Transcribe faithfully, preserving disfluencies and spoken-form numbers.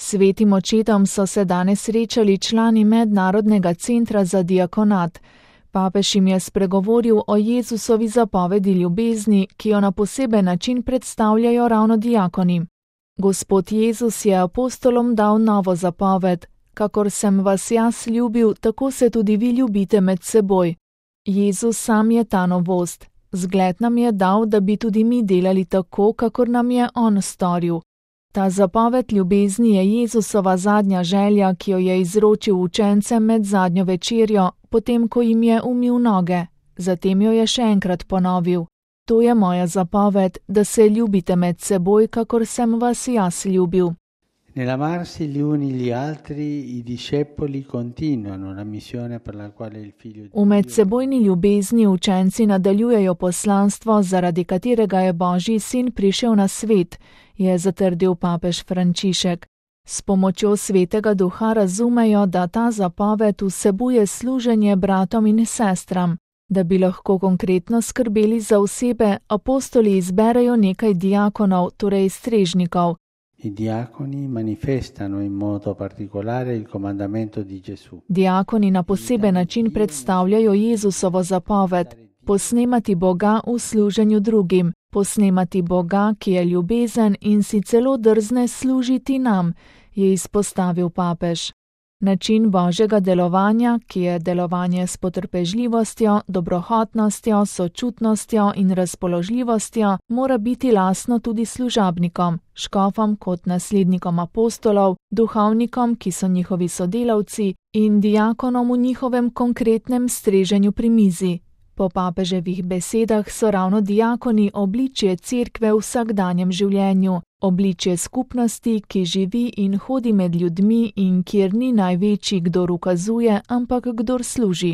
Svetim očetom so se danes srečali člani Mednarodnega centra za diakonat. Papež jim je spregovoril o Jezusovi zapovedi ljubezni, ki jo na poseben način predstavljajo ravno diakoni. Gospod Jezus je apostolom dal novo zapoved: kakor sem vas jaz ljubil, tako se tudi vi ljubite med seboj. Jezus sam je ta novost. Zgled nam je dal, da bi tudi mi delali tako, kakor nam je on storil. Ta zapoved ljubezni je Jezusova zadnja želja, ki jo je izročil učencem med zadnjo večerjo, potem ko jim je umil noge. Zatem jo je še enkrat ponovil: to je moja zapoved, da se ljubite med seboj, kakor sem vas jaz ljubil. Nell'amarsi gli uni gli altri, i discepoli continuano la missione per la quale il figlio di V medsebojni ljubezni učenci nadaljujejo poslanstvo, zaradi katerega je Božji sin prišel na svet, je zatrdil papež Frančišek. S pomočjo Svetega Duha razumejo, da ta zapoved vsebuje služenje bratom in sestram. Da bi lahko konkretno skrbeli za osebe, apostoli izberejo nekaj diakonov, torej strežnikov. I diaconi manifestano in modo particolare il comandamento di Gesù. Diakoni na poseben način predstavljajo Jezusovo zapoved: posnemati Boga v služenju drugim, posnemati Boga, ki je ljubezen in si celo drzne služiti nam, je izpostavil papež. Način Božjega delovanja, ki je delovanje s potrpežljivostjo, dobrohotnostjo, sočutnostjo in razpoložljivostjo, mora biti lastno tudi služabnikom, škofom kot naslednikom apostolov, duhovnikom, ki so njihovi sodelavci, in diakonom v njihovem konkretnem streženju pri mizi. Po papeževih besedah so ravno diakoni obličje cerkve v vsakdanjem življenju, obličje skupnosti, ki živi in hodi med ljudmi in kjer ni največji, kdor ukazuje, ampak kdor služi.